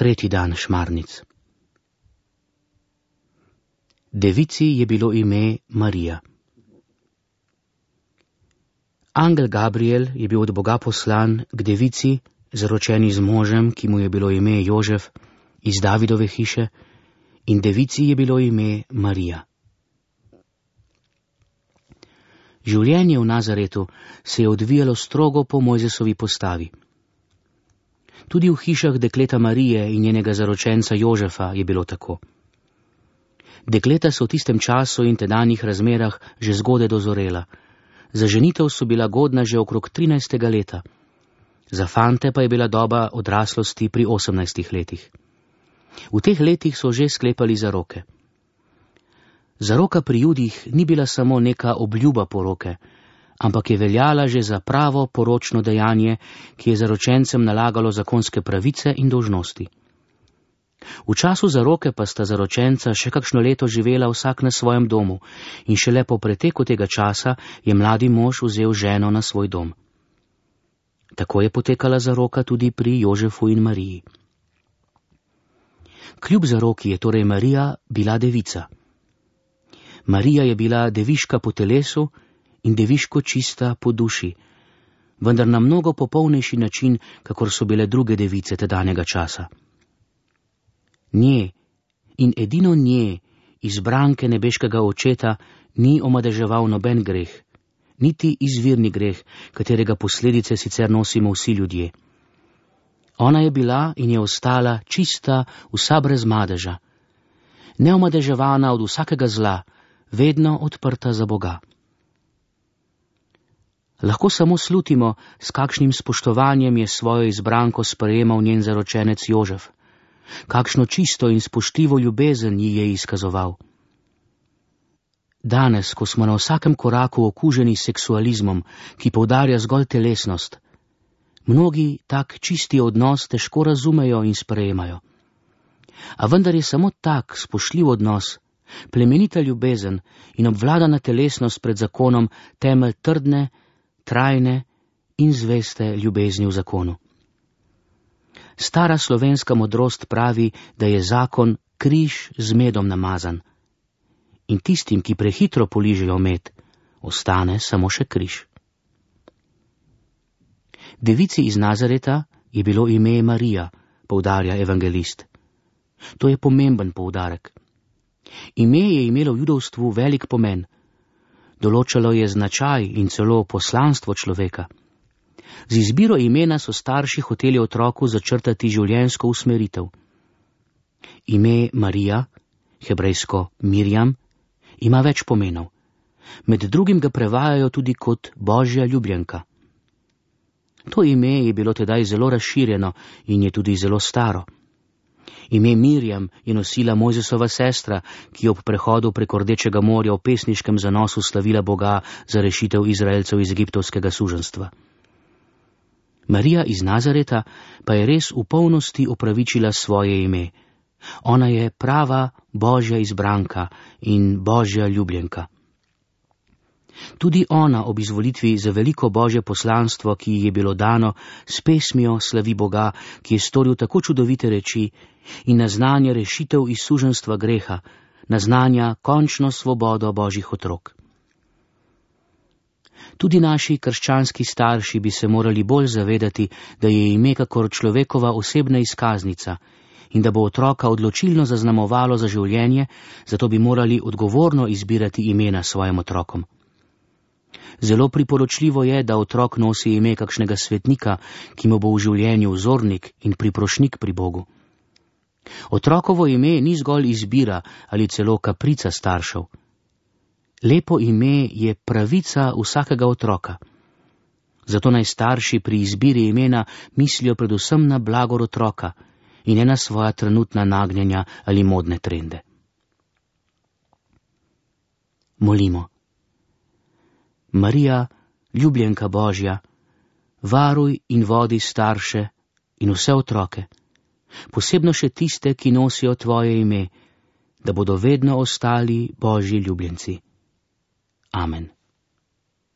Tretji dan šmarnic. Devici je bilo ime Marija. Angel Gabriel je bil od Boga poslan k devici, zaročeni z možem, ki mu je bilo ime Jožef, iz Davidove hiše, in devici je bilo ime Marija. Življenje v Nazaretu se je odvijalo strogo po Mojzesovi postavi. Tudi v hišah dekleta Marije in njenega zaročenca Jožefa je bilo tako. Dekleta so v tistem času in tedanjih razmerah že zgodaj dozorela. Za ženitev so bila godna že okrog 13. leta. Za fante pa je bila doba odraslosti pri 18 letih. V teh letih so že sklepali zaroke. Zaroka pri Judih ni bila samo neka obljuba poroke, ampak je veljala že za pravo poročno dejanje, ki je zaročencem nalagalo zakonske pravice in dolžnosti. V času zaroke pa sta zaročenca še kakšno leto živela vsak na svojem domu in šele po preteku tega časa je mladi mož vzel ženo na svoj dom. Tako je potekala zaroka tudi pri Jožefu in Mariji. Kljub zaroki je torej Marija bila devica. Marija je bila deviška po telesu in deviško čista po duši, vendar na mnogo popolnejši način, kakor so bile druge device tedanjega časa. Nje in edino nje, izbranke nebeškega očeta, ni omadeževal noben greh, niti izvirni greh, katerega posledice sicer nosimo vsi ljudje. Ona je bila in je ostala čista, vsa brez madeža, neomadeževana od vsakega zla, vedno odprta za Boga. Lahko samo slutimo, s kakšnim spoštovanjem je svojo izbranko sprejemal njen zaročenec Jožef, kakšno čisto in spoštljivo ljubezen ji je izkazoval. Danes, ko smo na vsakem koraku okuženi s seksualizmom, ki poudarja zgolj telesnost, mnogi tak čisti odnos težko razumejo in sprejemajo. A vendar je samo tak spoštljiv odnos, plemenita ljubezen in obvladana telesnost pred zakonom temelj trdne, trajne in zveste ljubezni v zakonu. Stara slovenska modrost pravi, da je zakon križ z medom namazan. In tistim, ki prehitro poližejo med, ostane samo še križ. Devici iz Nazareta je bilo ime Marija, poudarja evangelist. To je pomemben poudarek. Ime je imelo v judovstvu velik pomen. Določalo je značaj in celo poslanstvo človeka. Z izbiro imena so starši hoteli otroku začrtati življenjsko usmeritev. Ime Marija, hebrejsko Mirjam, ima več pomenov. Med drugim ga prevajajo tudi kot Božja ljubljenka. To ime je bilo tedaj zelo razširjeno in je tudi zelo staro. Ime Mirjam je nosila Mojzesova sestra, ki je ob prehodu preko Rdečega morja v pesniškem zanosu slavila Boga za rešitev Izraelcev iz egiptovskega suženjstva. Marija iz Nazareta pa je res v polnosti opravičila svoje ime. Ona je prava Božja izbranka in Božja ljubljenka. Tudi ona ob izvolitvi za veliko Božje poslanstvo, ki ji je bilo dano, s pesmijo slavi Boga, ki je storil tako čudovite reči in naznanja rešitev iz suženjstva greha, naznanja končno svobodo Božjih otrok. Tudi naši krščanski starši bi se morali bolj zavedati, da je ime kakor človekova osebna izkaznica in da bo otroka odločilno zaznamovalo za življenje, zato bi morali odgovorno izbirati imena svojim otrokom. Zelo priporočljivo je, da otrok nosi ime kakšnega svetnika, ki mu bo v življenju vzornik in priprošnik pri Bogu. Otrokovo ime ni zgolj izbira ali celo kaprica staršev. Lepo ime je pravica vsakega otroka. Zato naj starši pri izbiri imena mislijo predvsem na blagor otroka in ne na svoja trenutna nagnjenja ali modne trende. Molimo. Marija, ljubljenka Božja, varuj in vodi starše in vse otroke, posebno še tiste, ki nosijo tvoje ime, da bodo vedno ostali Božji ljubljenci. Amen.